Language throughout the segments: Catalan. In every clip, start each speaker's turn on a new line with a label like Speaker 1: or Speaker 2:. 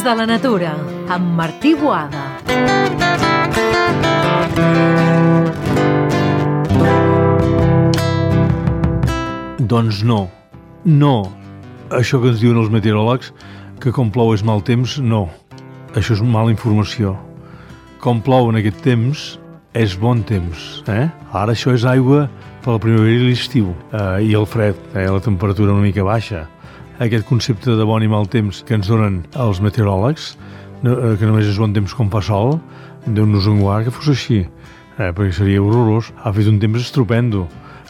Speaker 1: Des de la natura, amb Martí Boada.
Speaker 2: Doncs no. Això que ens diuen els meteoròlegs, que com plou és mal temps, no. Això és mala informació. Com plou en aquest temps és bon temps. Ara això és aigua per la primavera i l'estiu, i el fred, la temperatura una mica baixa. Aquest concepte de bon i mal temps que ens donen els meteoròlegs, que només és bon temps quan fa sol, Déu-nos en guard que fos així, perquè seria horrorós. Ha fet un temps estupendo.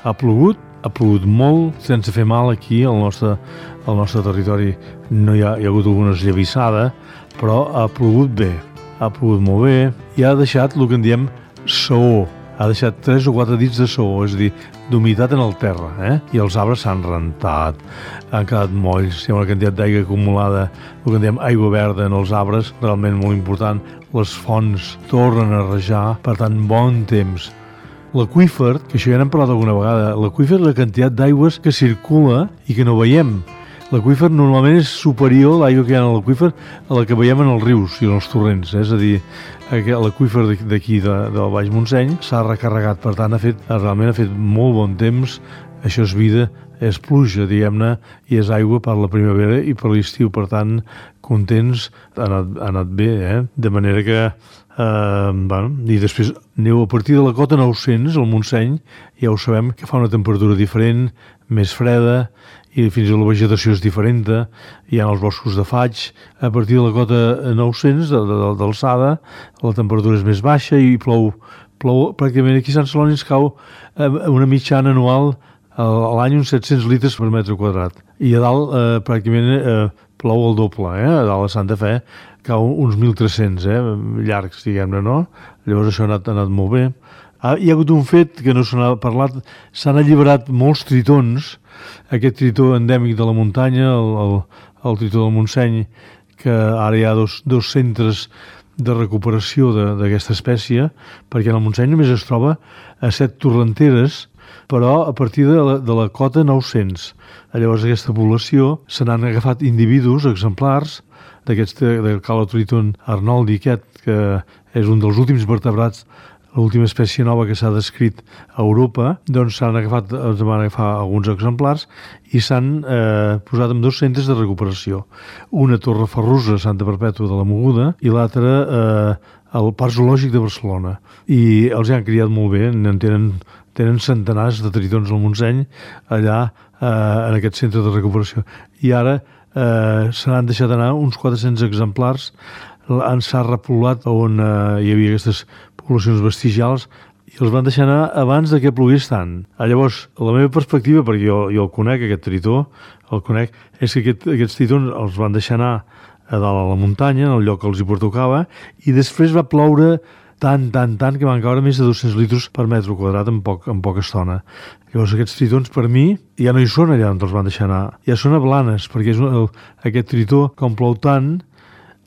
Speaker 2: Ha plogut molt, sense fer mal aquí al nostre territori. No hi ha hagut alguna esllavissada, però ha plogut bé, ha plogut molt bé i ha deixat el que en diem saó. Ha deixat 3 o 4 dits de saó, és a dir, d'humitat en el terra, i els arbres s'han rentat, han quedat molls, hi ha una quantitat d'aigua acumulada, el que en diem aigua verda en els arbres, realment molt important. Les fonts tornen a rajar, per tant, bon temps. L'aqüífer, que això ja n'hem parlat alguna vegada, l'aqüífer és la quantitat d'aigües que circula i que no veiem. L'aqüífer normalment és superior, l'aigua que hi ha en l'aqüífer, a la que veiem en els rius i en els torrents. És a dir, l'aqüífer d'aquí, del Baix Montseny, s'ha recarregat. Per tant, realment ha fet molt bon temps. Això és vida, és pluja, diguem-ne, i és aigua per la primavera i per l'estiu. Per tant, contents, ha anat bé, De manera que... i després aneu a partir de la cota 900, al Montseny, ja ho sabem que fa una temperatura diferent, més freda, i fins i tot la vegetació és diferent, hi ha els boscos de faig. A partir de la cota 900 d'alçada la temperatura és més baixa i plou pràcticament. Aquí a Sant Celoni ens cau una mitjana anual a l'any uns 700 litres per metre quadrat, i a dalt pràcticament plou el doble, a dalt a Santa Fe cau uns 1.300, llargs, diguem-ne, no? Llavors això ha anat molt bé. Hi ha hagut un fet que no se n'ha parlat, s'han alliberat molts tritons, aquest tritó endèmic de la muntanya, el tritó del Montseny, que ara hi ha dos centres de recuperació d'aquesta espècie, perquè en el Montseny només es troba a 7 torrenteres, però a partir de la cota 900. Llavors aquesta població se n'han agafat individus, exemplars, del Calotriton arnoldi aquest, que és un dels últims vertebrats, l'última espècie nova que s'ha descrit a Europa. Doncs van agafar alguns exemplars i s'han posat en 2 centres de recuperació. Una a Torreferrusa, Santa Perpètua de la Mogoda, i l'altra al Parc Zoològic de Barcelona. I els han criat molt bé, tenen centenars de tritons al Montseny allà en aquest centre de recuperació. I ara se n'han deixat anar uns 400 exemplars, s'ha repoblat on hi havia aquestes poblacions vestigials i els van deixar anar abans que plogués tant. Llavors, la meva perspectiva, perquè jo el conec, aquest tritó, és que aquests tritons els van deixar anar a dalt a la muntanya, en el lloc que els hi pertocava, i després va ploure tant, que van caure més de 200 litres per metre quadrat en poca estona. Llavors aquests tritons per mi ja no hi són allà on els van deixar anar, ja són a Blanes, perquè aquest tritó, com plou tant,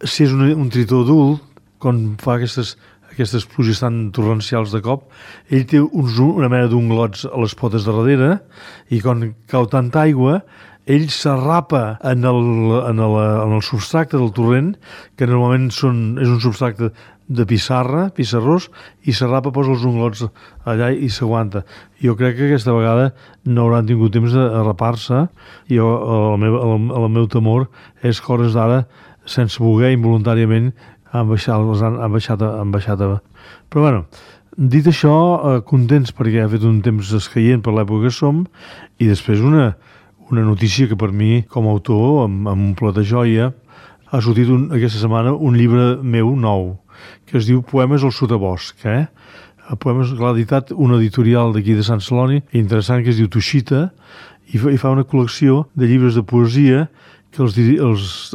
Speaker 2: si és un tritó adult, quan fa aquestes pluges tan torrencials de cop, ell té una mena d'unglots a les potes de darrere, i quan cau tanta aigua, ell s'arrapa en el substracte del torrent, que normalment és un substracte de pissarrós, i s'arrapa, posa els unglots allà i s'aguanta. Jo crec que aquesta vegada no hauran tingut temps d'arrapar-se. El meu temor és que hores d'ara, sense voler, involuntàriament, han baixat. Però bueno, dit això, contents perquè ha fet un temps escaient per l'època que som, i després una notícia que per mi, com a autor, amb un plat de joia, ha sortit aquesta setmana un llibre meu nou, que es diu Poemes al sotabosc. Poemes, l'ha editat una editorial d'aquí de Sant Celoni, interessant, que es diu Tushita, i fa una col·lecció de llibres de poesia que els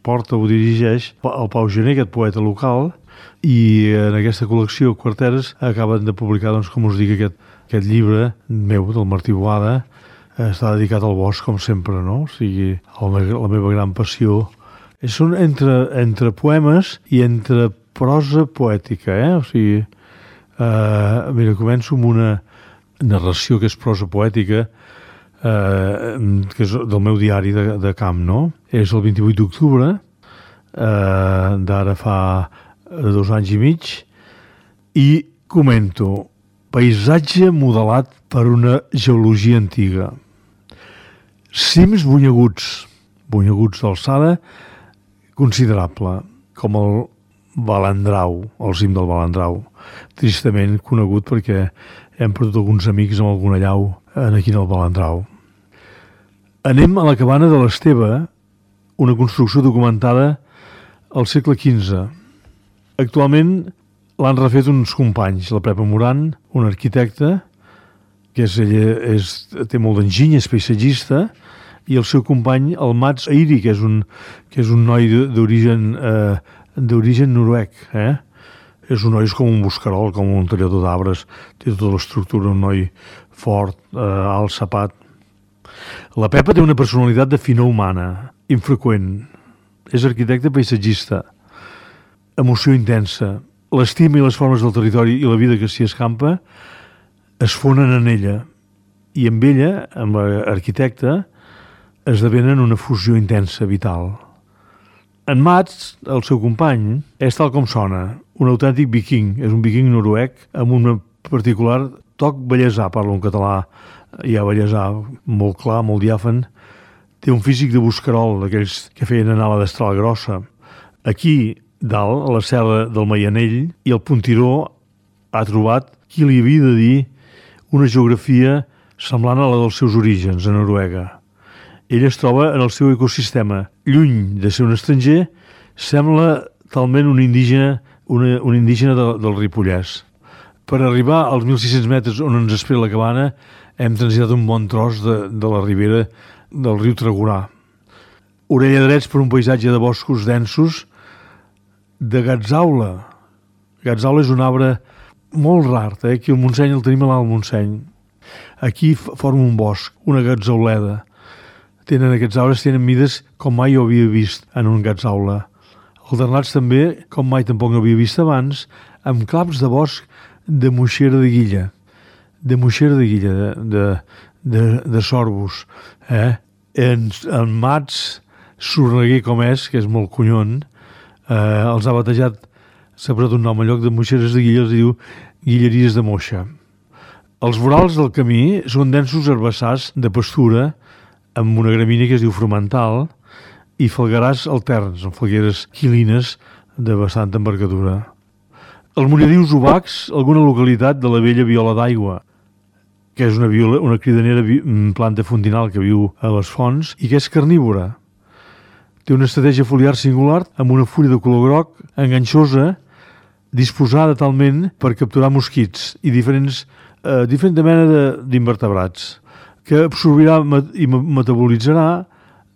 Speaker 2: porta o dirigeix el Pau Gené, aquest poeta local, i en aquesta col·lecció Quarteres acaben de publicar, doncs, com us dic, aquest llibre meu, del Martí Boada. Està dedicat al bosc, com sempre, no? O sigui, la meva gran passió. Són entre poemes i entre prosa poètica, O sigui, mira, començo amb una narració que és prosa poètica, que és del meu diari de camp, no? És el 28 d'octubre, d'ara fa 2 anys i mig, i comento paisatge modelat per una geologia antiga. Cims bunyeguts d'alçada considerable, com el Balandrau, el cim del Balandrau, tristament conegut perquè hem perdut alguns amics amb alguna llau aquí en el Balandrau. Anem a la cabana de l'Esteve, una construcció documentada al segle XV. Actualment l'han refet uns companys, la Pepa Moran, un arquitecte, que té molt d'enginy, és paisatgista, i el seu company, el Mats Airi, que és un noi d'origen noruec. És un noi com un buscarol, com un tallador d'arbres, té tota l'estructura, un noi fort, alt, sapat. La Pepa té una personalitat de finor humana, infreqüent. És arquitecte paisatgista, emoció intensa. L'estima i les formes del territori i la vida que s'hi escampa es fonen en ella, i amb ella, amb l'arquitecte, esdevenen una fusió intensa, vital. En Mats, el seu company, és tal com sona, un autèntic viking, és un viking noruec amb un particular toc bellesà, parla un català ja bellesà, molt clar, molt diàfan. Té un físic de buscarol, d'aquells que feien anar la destral grossa. Aquí, dalt, a la serra del Maianell, i el Puntiró ha trobat qui li havia de dir una geografia semblant a la dels seus orígens, a Noruega. Ell es troba en el seu ecosistema. Lluny de ser un estranger, sembla talment un indígena del Ripollès. Per arribar als 1.600 metres on ens espera la cabana, hem transitat un bon tros de la ribera del riu Tregurà. Orella drets per un paisatge de boscos densos, de gatzaula. Gatzaula és un arbre molt rar, aquí al Montseny el tenim a l'Alt Montseny. Aquí forma un bosc, una gatzauleda. Aquests arbres tenen mides com mai ho havia vist en un gatzaula. Alternats també, com mai tampoc no havia vist abans, amb claps de bosc de moixera de guilla. De moixera de guilla, de sorbus. En Mats, sorneguer com és, que és molt conyon, els ha batejat, s'ha posat un nom en lloc de moixeres de guilla, els diu guilleries de moixa. Els vorals del camí són densos herbassars de pastura amb una gramínia que es diu frumental i falguerars alterns, amb falgueres quilines de bastanta envergadura. Els Monedius Obacs, alguna localitat de la vella viola d'aigua, que és una cridanera planta fontinal que viu a les fonts i que és carnívora. Té una estratègia foliar singular amb una fulla de color groc enganxosa disposada talment per capturar mosquits i diferent mena d'invertebrats que absorbirà i metabolitzarà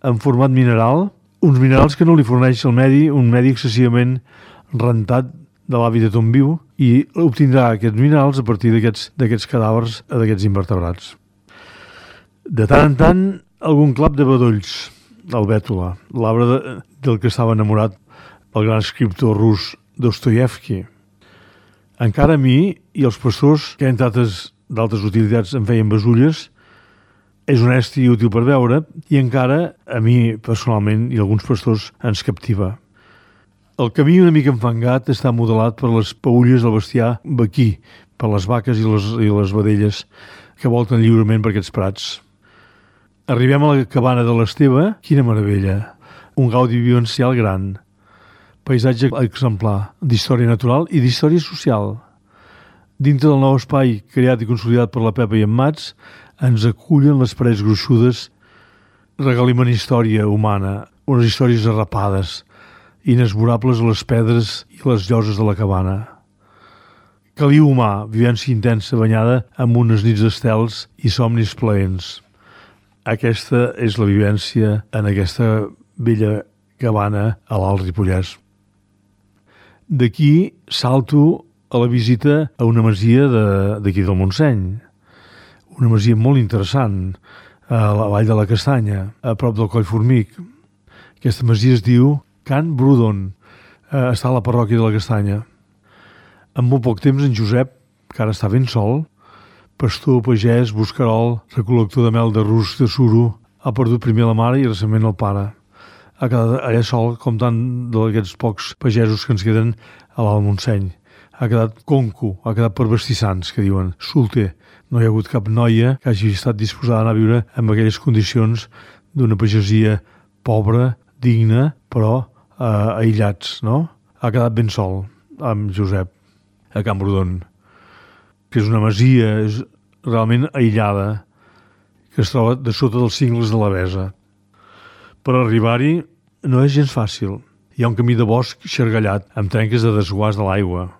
Speaker 2: en format mineral, uns minerals que no li forneix el medi, un medi excessivament rentat de l'hàbitat on viu, i obtindrà aquests minerals a partir d'aquests cadàvers d'aquests invertebrats. De tant en tant, algun clap de bedolls, el bètula, l'arbre del que estava enamorat el gran escriptor rus Dostoievski. Encara a mi i els pastors, que entre d'altres utilitats em feien besulles, és honest i útil per veure, i encara a mi personalment i alguns pastors ens captiva. El camí una mica enfangat està modelat per les peülles del bestiar vaquí, per les vaques i les vedelles que volten lliurement per aquests prats. Arribem a la cabana de l'Esteve, quina meravella, un gaudi vivencial gran, paisatge exemplar d'història natural i d'història social. Dintre del nou espai creat i consolidat per la Pepa i en Mats, ens acullen les parets gruixudes, regaliment història humana, unes històries arrapades, inesborables a les pedres i les lloses de la cabana. Caliu humà, vivència intensa banyada amb unes nits d'estels i somnis plaents. Aquesta és la vivència en aquesta bella cabana a l'Alt Ripollès. D'aquí salto a la visita a una masia d'aquí del Montseny. Una masia molt interessant, a la vall de la Castanya, a prop del Coll Formic. Aquesta masia es diu Can Brudon, està a la parròquia de la Castanya. En molt poc temps en Josep, que ara està ben sol, pastor, pagès, buscarol, recol·lector de mel de rusc de suro, ha perdut primer la mare i recentment el pare. ha quedat allà sol, com tant d'aquests pocs pagesos que ens queden a l'Alt Montseny. Ha quedat conco, ha quedat per vestissants, que diuen, solter. No hi ha hagut cap noia que hagi estat disposada a anar a viure en aquelles condicions d'una pagesia pobra, digna, però aïllats, no? Ha quedat ben sol amb Josep a Camprodon, que és una masia realment aïllada, que es troba de sota dels cingles de la Besa. Per arribar-hi no és gens fàcil. Hi ha un camí de bosc xargallat, amb trenques de desguàs de l'aigua,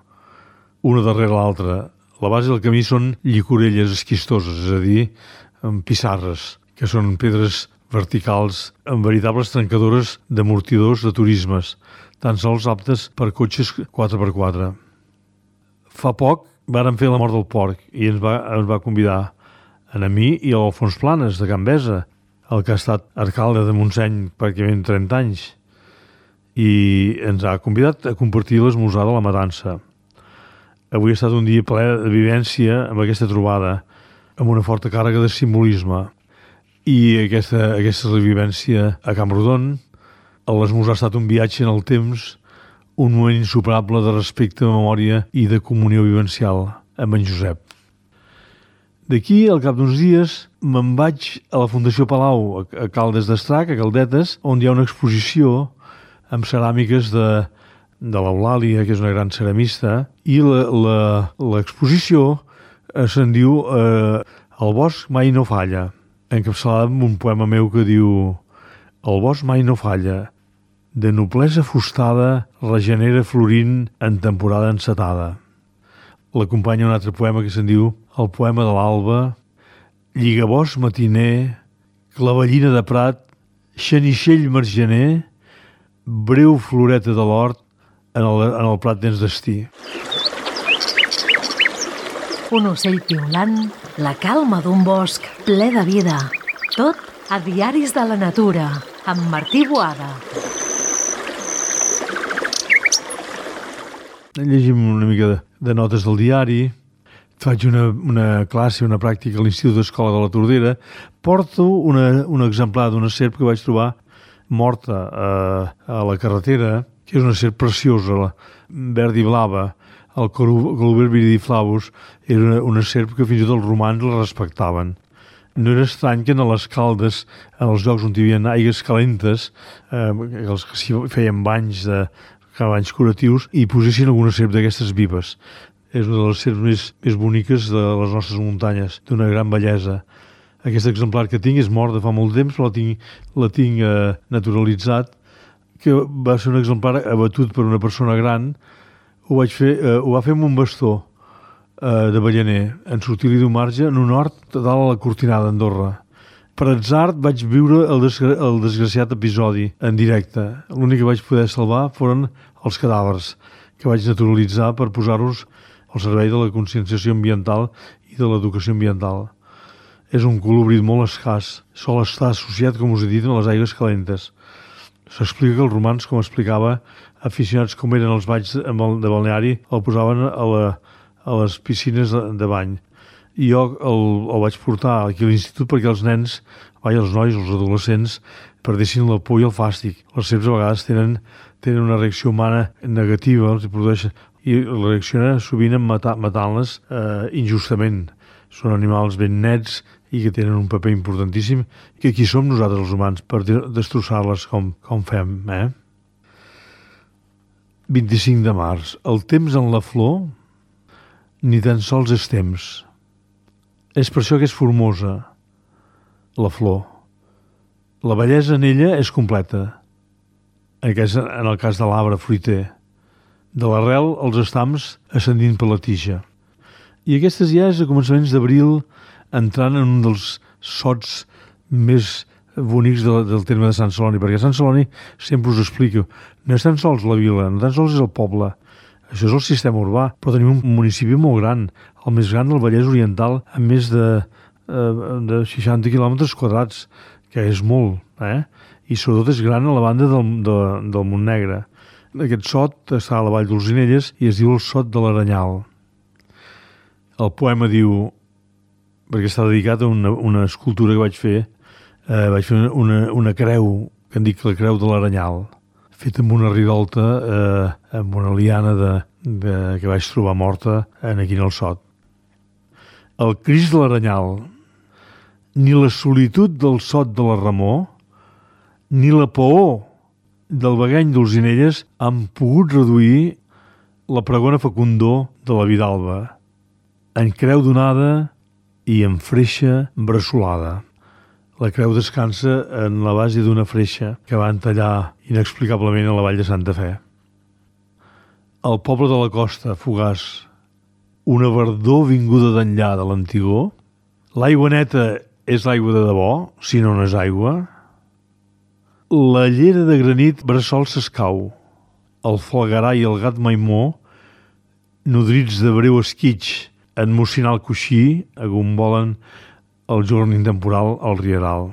Speaker 2: una darrere l'altra. La base del camí són llicorelles esquistoses, és a dir, amb pissarres, que són pedres verticals amb veritables trencadores d'amortidors de turismes, tan sols aptes per cotxes 4x4. Fa poc vàrem fer la mort del porc i ens va convidar a mi i a l'Alfons Planes, de Can Besa, el que ha estat alcalde de Montseny pràcticament 30 anys, i ens ha convidat a compartir l'esmorzar de la matança. Avui ha estat un dia ple de vivència amb aquesta trobada, amb una forta càrrega de simbolisme. I aquesta revivència a Camprodon, l'esmorzar ha estat un viatge en el temps, un moment insuperable de respecte, memòria i de comunió vivencial amb en Josep. D'aquí, al cap d'uns dies, me'n vaig a la Fundació Palau, a Caldes d'Estrac, a Caldetes, on hi ha una exposició amb ceràmiques de l'Eulàlia, que és una gran ceramista, i l'exposició se'n diu El bosc mai no falla, encapçalada amb un poema meu que diu El bosc mai no falla, de noblesa fustada regenera florint en temporada encetada. L'acompanya un altre poema que se'n diu El poema de l'alba, lligabosc matiner, clavellina de prat, xenixell margener, breu floreta de l'hort en el prat dens destí.
Speaker 1: Un ocell piulant, la calma d'un bosc ple de vida. Tot a Diaris de la Natura, amb Martí Boada.
Speaker 2: Llegim una mica de notes del diari. Faig una classe, una pràctica a l'Institut d'Escola de la Tordera. Porto un exemplar d'una serp que vaig trobar morta a la carretera, que és una serp preciosa, verd i blava. El Coluber viridiflavus era una serp que fins i tot els romans la respectaven. No era estrany que a les Caldes, en els llocs on hi havia aigues calentes, els que s'hi feien banys curatius, i posessin alguna serp d'aquestes vives. És una de les serps més boniques de les nostres muntanyes, d'una gran bellesa. Aquest exemplar que tinc és mort de fa molt temps, però la tinc naturalitzat, que va ser un exemplar abatut per una persona gran. Ho va fer amb un bastó de ballaner, en sortir-li d'un marge en un hort dalt a la Cortinada d'Andorra. Per atzar vaig viure el desgraciat episodi en directe. L'únic que vaig poder salvar foren els cadàvers, que vaig naturalitzar per posar-los al servei de la conscienciació ambiental i de l'educació ambiental. És un colobrit molt escàs, sol estar associat, com us he dit, a les aigües calentes. S'explica que els romans, com explicava, aficionats com eren els balls de balneari, el posaven a les piscines de bany. I jo el vaig portar aquí a l'institut perquè els nens, els nois, els adolescents, perdessin la por i el fàstic. Les serps a vegades tenen una reacció humana negativa, els produeixen, i reacciona sovint matant-les injustament. Són animals ben nets i que tenen un paper importantíssim, que aquí som nosaltres els humans per destrossar-les com fem. 25 de març. El temps en la flor ni tan sols és temps. És per això que és formosa, la flor. La bellesa en ella és completa, en el cas de l'arbre fruiter. De l'arrel als estams ascendint per la tija. I aquestes ja és a començaments d'abril, entrant en un dels sots més bonics del terme de Sant Celoni, perquè Sant Celoni, sempre us explico, no és tan sols la vila, no tan sols és el poble, això és el sistema urbà, però tenim un municipi molt gran, el més gran del Vallès Oriental, amb més de 60 quilòmetres quadrats, que és molt, i sobretot és gran a la banda del Montnegre. Aquest sot està a la Vall d'Olzinelles i es diu el Sot de l'Aranyal. El poema diu, perquè està dedicat a una escultura que vaig fer una creu que en dic la Creu de l'Aranyal, feta amb una ridolta, amb una liana que vaig trobar morta aquí en el Sot. El Crist de l'Aranyal. Ni la solitud del Sot de la Ramó, ni la paor del Begany d'Olzinelles han pogut reduir la pregona fecundor de la Vidalba, en creu donada i en freixa bressolada. La creu descansa en la base d'una freixa que van tallar inexplicablement a la vall de Santa Fe. El poble de la costa, fugaç, una verdor vinguda d'enllà de l'antigor. L'aigua neta és l'aigua de debò, si no és aigua. La llera de granit bressol s'escau. El falgarà i el gat maimó, nodrits de breu esquitx, en mossinar el coixí, agombolen el jorn intemporal al rieral.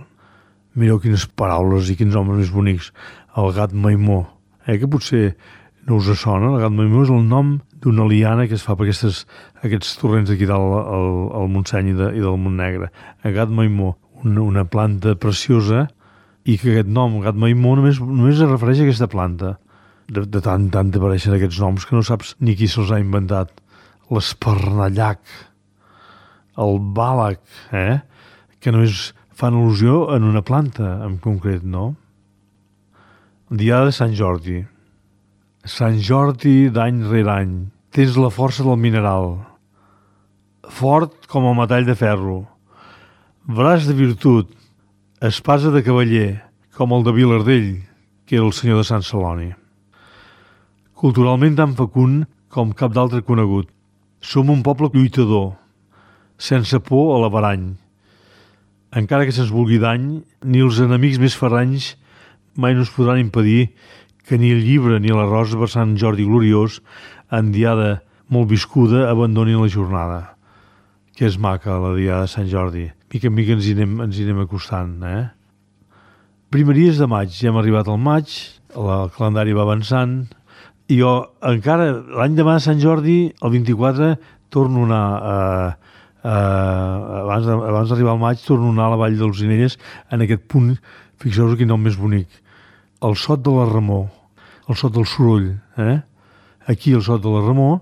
Speaker 2: Mireu quines paraules i quins homes més bonics. El gat maimó, que potser no us sona. El gat maimó és el nom d'una liana que es fa per aquests torrents d'aquí dalt al Montseny i del Montnegre. El gat maimó, una planta preciosa, i que aquest nom, gat maimó, només es refereix a aquesta planta. De tant apareixen aquests noms que no saps ni qui se'ls ha inventat. L'esparnallac, el bàlac, que només fan al·lusió en una planta en concret, no? Diada de Sant Jordi. Sant Jordi d'any rere any. Tens la força del mineral. Fort com el metall de ferro. Braç de virtut. Espasa de cavaller, com el de Vilardell, que era el senyor de Sant Celoni. Culturalment tan fecund com cap d'altre conegut. Som un poble lluitador, sense por a l'averany. Encara que se'ns vulgui dany, ni els enemics més ferranys mai no es podran impedir que ni el llibre ni la rosa per Sant Jordi gloriós, en diada molt viscuda, abandonin la jornada. Que és maca, la diada de Sant Jordi. Mica en mica ens hi anem acostant, Primeries de maig, ja hem arribat al maig, el calendari va avançant, i jo encara, l'any demà de Sant Jordi, el 24, torno a anar, abans d'arribar al maig, torno a anar a la vall d'Olzinelles, en aquest punt, fixeu-vos quin nom més bonic, el Sot de la Ramó, el Sot del Soroll, Aquí, al Sot de la Ramó,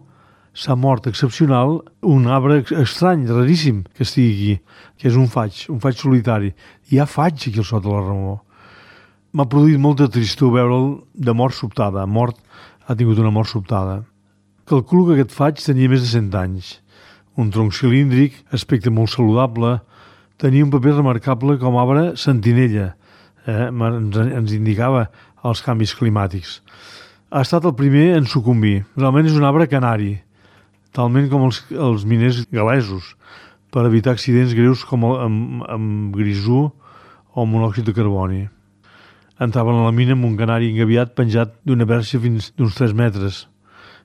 Speaker 2: s'ha mort excepcional un arbre estrany, raríssim, que estigui aquí, que és un faig solitari. Hi ha faig aquí al Sot de la Ramó. M'ha produït molta tristor veure'l de mort sobtada. Ha tingut una mort sobtada. Calculo que aquest faig tenia més de 100 anys. Un tronc cilíndric, aspecte molt saludable, tenia un paper remarcable com arbre sentinella. Ens indicava els canvis climàtics. Ha estat el primer en sucumbir. Realment és un arbre canari, talment com els miners galesos, per evitar accidents greus com amb grisú o monòxid de carboni. Entraven a la mina amb un canari engaviat penjat d'una perxa fins d'uns 3 metres.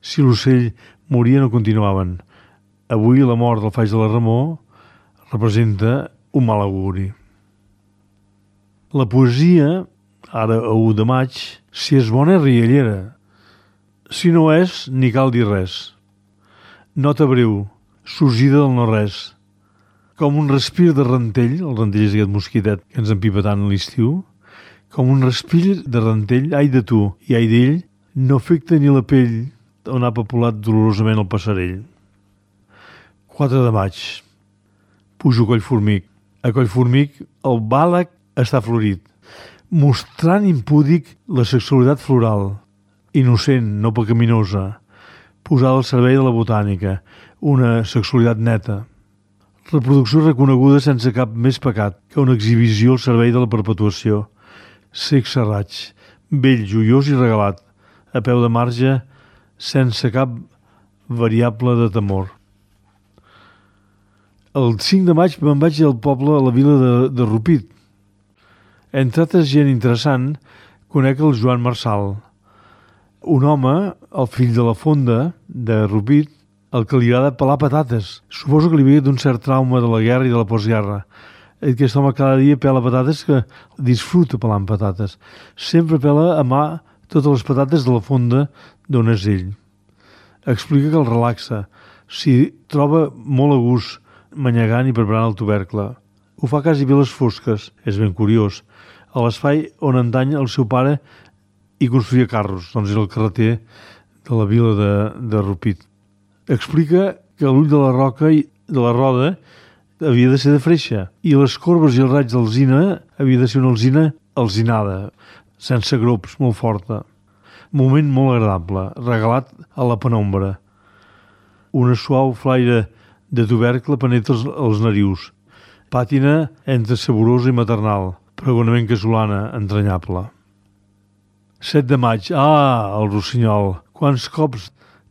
Speaker 2: Si l'ocell moria no continuaven. Avui la mort del faig de la Ramó representa un mal auguri. La poesia, ara a 1 de maig, si és bona és riallera. Si no és, ni cal dir res. Nota breu, sorgida del no-res. Com un respir de rentell, el rentell és aquest mosquitet que ens empipa tant a l'estiu, com un respir de rentell, ai de tu i ai d'ell, no afecta ni la pell on ha papulat dolorosament el passarell. 4 de maig. Pujo a Collformic. A Collformic el bàlac està florit, mostrant impúdic la sexualitat floral, innocent, no pecaminosa, posada al servei de la botànica, una sexualitat neta. Reproducció reconeguda sense cap més pecat que una exhibició al servei de la perpetuació. Sex serraig, vell, joiós i regalat, a peu de marge, sense cap variable de temor. El 5 de maig me'n vaig al poble, a la vila de Rupit. Entre altres gent interessant, conec el Joan Marçal, un home, el fill de la fonda de Rupit, el que li agrada pelar patates. Suposo que li ve d'un cert trauma de la guerra i de la postguerra. Aquest home cada dia pela patates, que disfruta pelant patates. Sempre pela a mà totes les patates de la fonda d'on és ell. Explica que el relaxa, s'hi troba molt a gust, manyegant i preparant el tubercle. Ho fa quasi bé a les fosques, és ben curiós. a l'espai on antany el seu pare hi construïa carros, doncs era el carreter de la vila de Rupit. Explica que l'ull de la roca i de la roda havia de ser de freixa i les corbes i els raigs d'alzina havia de ser una alzina alzinada, sense grops, molt forta. Moment molt agradable, regalat a la penombra. Una suau flaire de tubercle penetra els narius. Pàtina entre saborosa i maternal, pregonament casolana, entranyable. 7 de maig. El rossinyol. Quants cops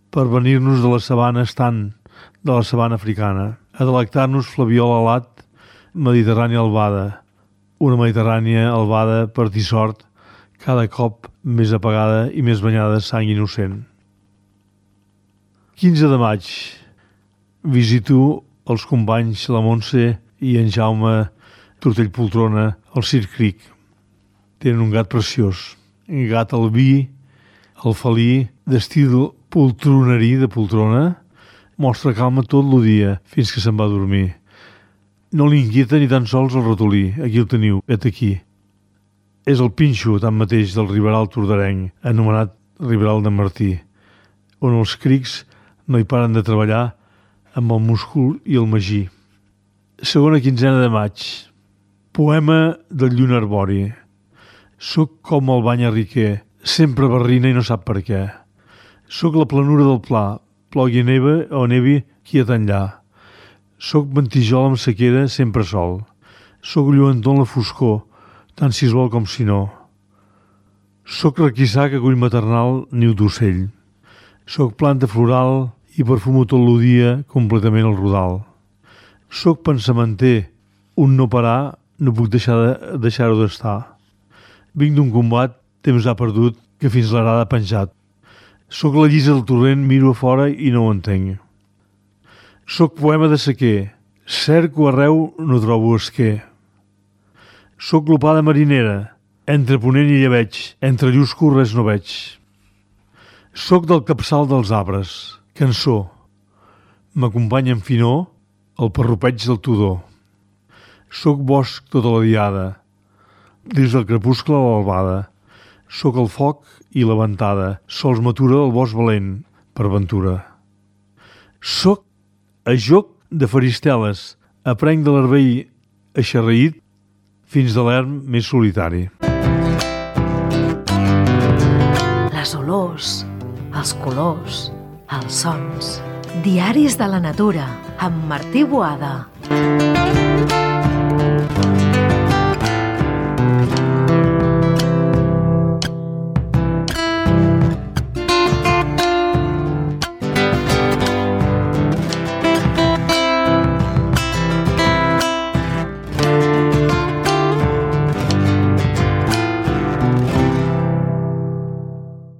Speaker 2: per venir-nos de la sabana estant, de la sabana africana, a delectar-nos flabiol alat, mediterrània albada. Una mediterrània albada, per dir sort, cada cop més apagada i més banyada de sang innocent. 15 de maig. Visito els companys la Montse i en Jaume Tortell Poltrona al Circ Cric. Tenen un gat preciós. Un gat albí, el felí, d'estil poltronerí de poltrona, mostra calma tot el dia fins que se'n va a dormir. No li inquieta ni tan sols el ratolí. Aquí el teniu, vet aquí. És el pinxo, tanmateix, del Riberal Tordarenc, anomenat Riberal de Martí, on els crics no hi paren de treballar amb el múscul i el magí. Segona quinzena de maig. Poema del Lluna Arbori. Soc com el bany riquer, sempre barrina i no sap per què. Soc la planura del pla, plogui neva o nevi quiet enllà. Soc ventijol amb sequera, sempre sol. Soc lluentor en la foscor, tant si es vol com si no. Soc requissar que acull maternal niu d'ocell. Soc planta floral i perfumo tot el dia completament el rodal. Soc pensamenter, un no parar, no puc deixar-ho d'estar. Vinc d'un combat, temps ha perdut, que fins l'arada ha penjat. Soc la llisa del torrent, miro a fora i no ho entenc. Soc poema de sequer, cerco arreu, no trobo esquer. Soc glopada marinera, entre ponent i llebeig, entre llusco res no veig. Soc del capçal dels arbres, cançó. M'acompanya en finor el parrupeig del tudor. Soc bosc tota la diada, des del crepuscle a l'albada. Soc el foc i la ventada, sols m'atura el bosc valent, per ventura. Soc a joc de faristeles, aprenc de l'arbell eixarreït fins de l'erm més solitari.
Speaker 1: Les olors, els colors, els sons. Diaris de la natura, amb Martí Boada.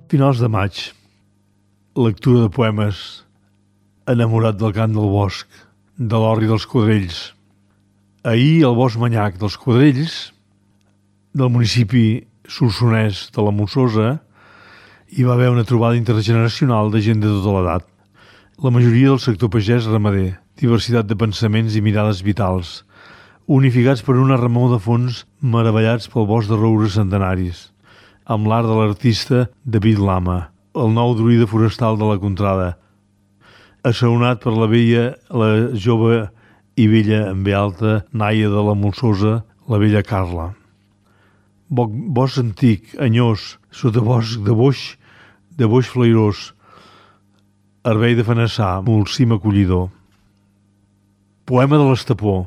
Speaker 2: Finals de maig. Lectura de poemes. Enamorat del cant del bosc, de l'orri dels quadrells. Ahir al bosc manyac dels quadrells, del municipi solsonès de la Molsosa, hi va haver una trobada intergeneracional de gent de tota l'edat. La majoria del sector pagès ramader, diversitat de pensaments i mirades vitals, unificats per una remor de fons meravellats pel bosc de roures centenaris, amb l'art de l'artista David Lama, el nou druida forestal de la Contrada, assaonat per la jove i vella en ve alta, naia de la Molsosa, la vella Carla. Bosc antic, anyós, sota bosc de boix flairós, herbei de fenassar, molsim acollidor. Poema de l'Estepó.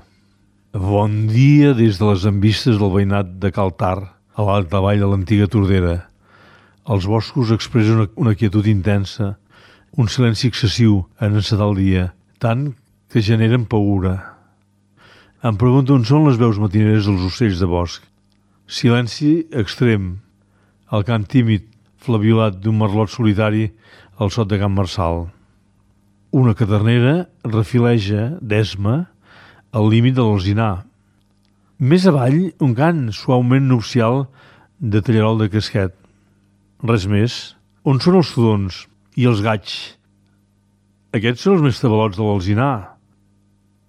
Speaker 2: Bon dia des de les envistes del veïnat de Caltar, a l'alta vall de l'antiga Tordera. Els boscos expressen una quietud intensa, un silenci excessiu en encetar el dia, tant que generen paura. Em pregunto on són les veus matineres dels ocells de bosc. Silenci extrem, el cant tímid, flaviolat d'un merlot solitari al sot de Can Marçal. Una cadernera refileja, d'esma, al límit de l'alzinar. Més avall, un cant suaument nupcial de tallarol de casquet. Res més. On són els tudons i els gaigs? Aquests són els més tabalots de l'alzinar.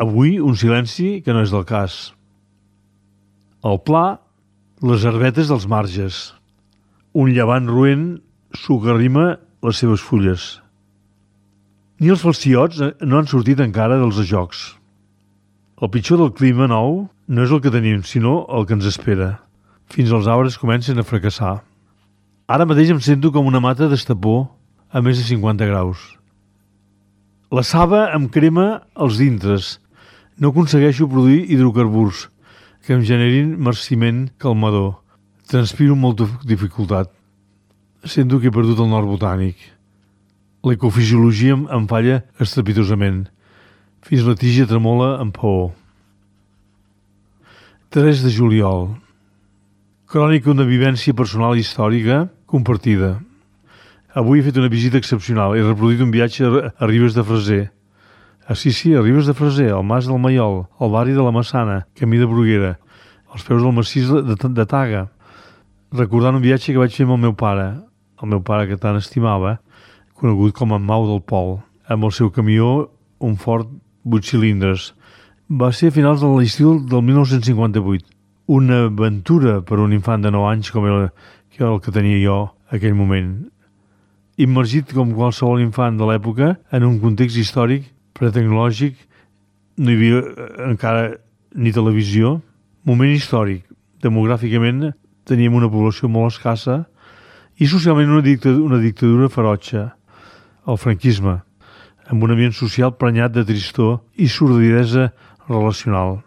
Speaker 2: Avui un silenci que no és del cas. Al pla, Les herbetes dels marges. Un llevant roent socarrima les seves fulles. Ni els falciots no han sortit encara dels ajocs. El pitjor del clima nou no és el que tenim, sinó el que ens espera. Fins els arbres comencen a fracassar. Ara mateix em sento com una mata d'estapó a més de 50 graus. La saba em crema els dintres. No aconsegueixo produir hidrocarburs que em generin marciment calmador. Transpiro amb molta dificultat. Sento que he perdut el nord botànic. L'ecofisiologia em falla estrepitosament. Fins la tija tremola amb paó. 3 de juliol. Crònica d'una vivència personal i històrica compartida. Avui he fet una visita excepcional. He reproduït un viatge a Ribes de Freser. Sí, a Ribes de Freser, al Mas del Maiol, al barri de la Massana, camí de Bruguera, als peus del massís de Taga, recordant un viatge que vaig fer amb el meu pare que tant estimava, conegut com en Mau del Pol, amb el seu camió, un Ford 8 cilindres. Va ser a finals de l'estiu del 1958. Una aventura per un infant de 9 anys com el que tenia jo en aquell moment. Immergit com qualsevol infant de l'època en un context històric pretecnològic, no hi havia encara ni televisió. Moment històric. Demogràficament teníem una població molt escassa i socialment una dictadura ferotge, el franquisme, amb un ambient social prenyat de tristor i sordidesa relacional.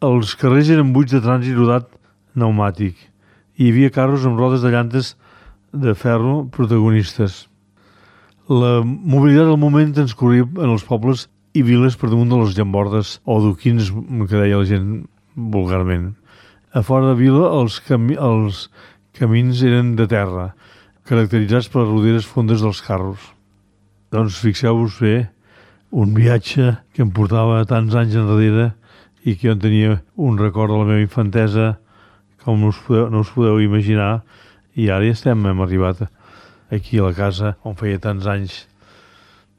Speaker 2: Els carrers eren buits de trànsit rodat pneumàtic i hi havia carros amb rodes de llantes de ferro protagonistes. La mobilitat del moment transcorria en els pobles i viles per damunt de les llambordes o duquins, que deia la gent vulgarment. A fora de vila els camins eren de terra, caracteritzats per les roderes fondes dels carros. Doncs fixeu-vos bé, un viatge que em portava tants anys enrere i que jo en tenia un record de la meva infantesa com no us podeu imaginar, i ara ja hem arribat aquí a la casa on feia tants anys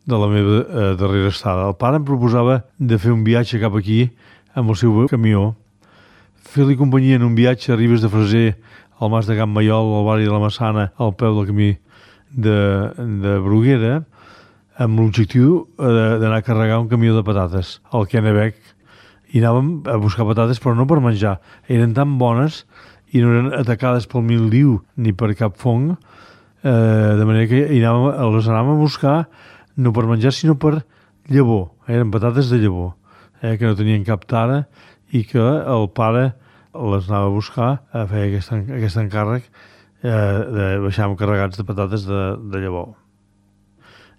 Speaker 2: de la meva darrera estada. El pare em proposava de fer un viatge cap aquí amb el seu camió, fer-li companyia en un viatge a Ribes de Freser, al Mas de Can Maiol, al barri de la Massana, al peu del camí de Bruguera, amb l'objectiu d'anar a carregar un camió de patates al Kennebec. I anàvem a buscar patates, però no per menjar. Eren tan bones i no eren atacades pel mildiu ni per cap fong, de manera que les anàvem a buscar no per menjar, sinó per llavor. Eren patates de llavor, que no tenien cap tara i que el pare les anava a buscar a fer aquest encàrrec de baixar carregats de patates de llavor.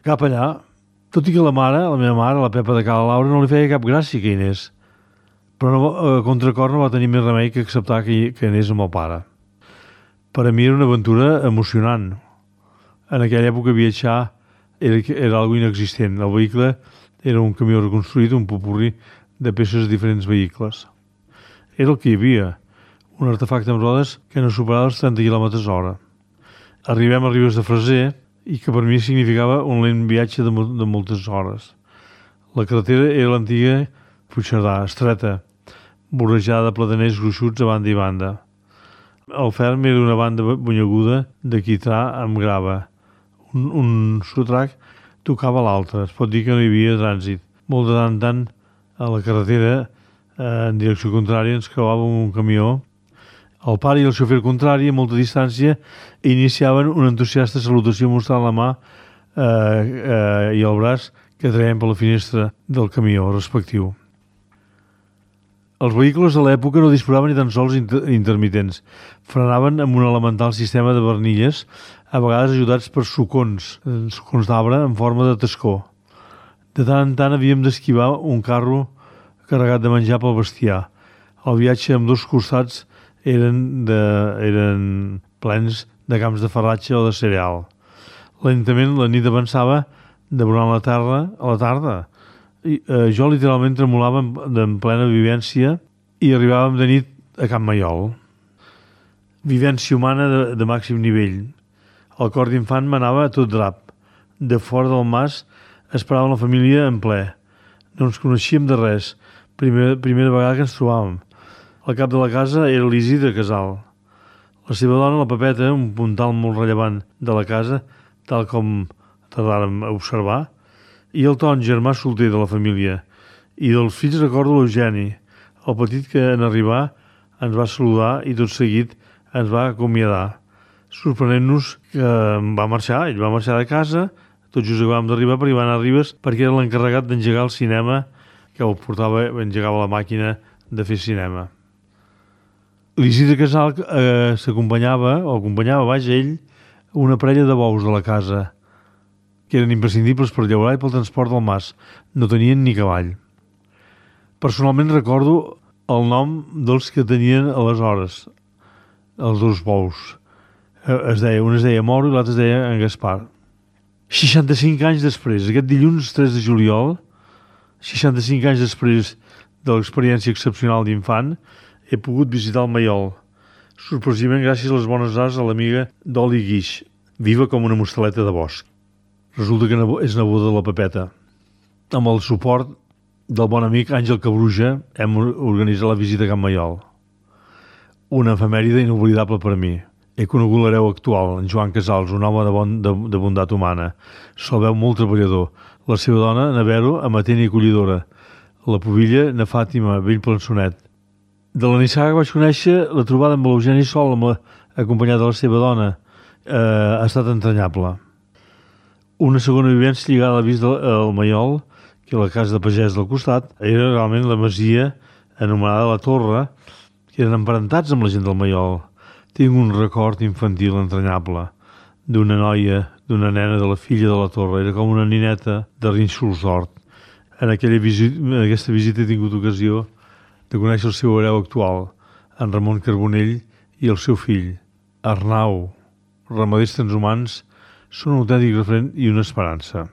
Speaker 2: Cap allà, tot i que la meva mare, la Pepa de Cala Laura, no li feia cap gràcia que hi anés, però a contracor no va tenir més remei que acceptar que anés amb el pare. Per a mi era una aventura emocionant. En aquella època viatjar era algo inexistent. El vehicle era un camió reconstruït, un popurrí de peces de diferents vehicles. Era el que hi havia, un artefacte amb rodes que no superava els 30 km/h. Arribem a Ribes de Freser i que per mi significava un lent viatge de moltes hores. La carretera era l'antiga Puigcerdà, estreta, vorejada de plataners gruixuts a banda i banda. El ferm era una banda bunyeguda de quitrà amb grava. Un sotrac tocava l'altre. Es pot dir que no hi havia trànsit. Molt de tant en tant a la carretera en direcció contrària ens creuàvem un camió. El pare i el xofer contrari, a molta distància, iniciaven una entusiasta salutació mostrant la mà i el braç que traiem per la finestra del camió respectiu. Els vehicles de l'època no disposaven ni tan sols intermitents. Frenaven amb un elemental sistema de barnilles, a vegades ajudats per sucons d'arbre en forma de tascó. De tant en tant havíem d'esquivar un carro carregat de menjar pel bestiar. El viatge amb dos costats eren plens de camps de farratge o de cereal. Lentament la nit avançava devorant la tarda. Jo literalment tremolava en plena vivència i arribàvem de nit a Can Maiol. Vivència humana de màxim nivell. El cor d'infant m'anava a tot drap. De fora del mas esperàvem la família en ple. No ens coneixíem de res. Primera vegada que ens trobàvem. El cap de la casa era l'Isidre Casal. La seva dona, la Pepeta, un puntal molt rellevant de la casa, tal com tardàrem a observar, i el Ton, germà solter de la família. I dels fills recordo l'Eugeni, el petit que en arribar ens va saludar i tot seguit ens va acomiadar, sorprenent-nos que va marxar. Ell va marxar de casa, tot just acabàvem d'arribar perquè va anar a Ribes perquè era l'encarregat d'engegar el cinema, que el portava, engegava la màquina de fer cinema. L'Isidre Casal acompanyava ell, una parella de bous de la casa, que eren imprescindibles per llaurar i pel transport del mas. No tenien ni cavall. Personalment recordo el nom dels que tenien aleshores, els dos bous. Un es deia Moro i l'altre es deia en Gaspar. 65 anys després, aquest dilluns 3 de juliol, 65 anys després de l'experiència excepcional d'infant, he pogut visitar el Maiol, sorpresivament gràcies a les bones arts de l'amiga Doli Guix, viva com una mostaleta de bosc. Resulta que és neboda de la Pepeta. Amb el suport del bon amic Àngel Cabruja hem organitzat la visita a Can Maiol. Una efemèride inoblidable per a mi. He conegut l'hereu actual, en Joan Casals, un home de bondat humana. Se'l veu molt treballador. La seva dona, na Vero, amatent i acollidora. La pubilla, na Fàtima, vell plançonet. De la nissaga vaig conèixer la trobada amb l'Eugeni Sol, acompanyat de la seva dona. Ha estat entranyable. Una segona vivència lligada a la vista del Maiol, que la casa de pagès del costat, era realment la masia anomenada La Torre, que eren emparentats amb la gent del Maiol. Tinc un record infantil entranyable d'una noia, d'una nena, de la filla de la Torre. Era com una nineta de rínxols d'hort. En aquesta visita he tingut ocasió de conèixer el seu hereu actual, en Ramon Carbonell, i el seu fill, Arnau. Ramaders transhumants són un autèntic referent i una esperança.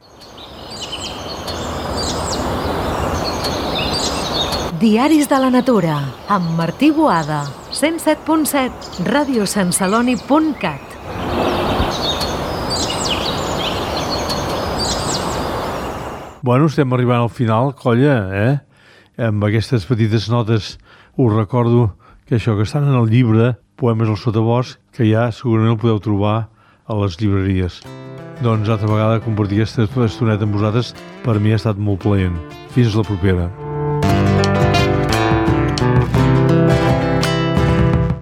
Speaker 1: Diaris de la Natura, amb Martí Boada, 107.7, radiosanceloni.cat.
Speaker 2: Bueno, estem arribant al final, colla, Amb aquestes petites notes us recordo que això que estan en el llibre Poemes al sotabosc, que ja segurament el podeu trobar a les llibreries. Doncs altra vegada compartir aquesta estoneta amb vosaltres per mi ha estat molt plaent. Fins la propera.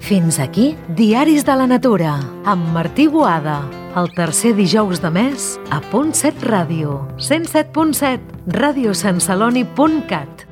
Speaker 1: Fins aquí, Diaris de la Natura, amb Martí Boada. El tercer dijous de mes, a Punt 7 Ràdio, 107.7, radiosanceloni.cat.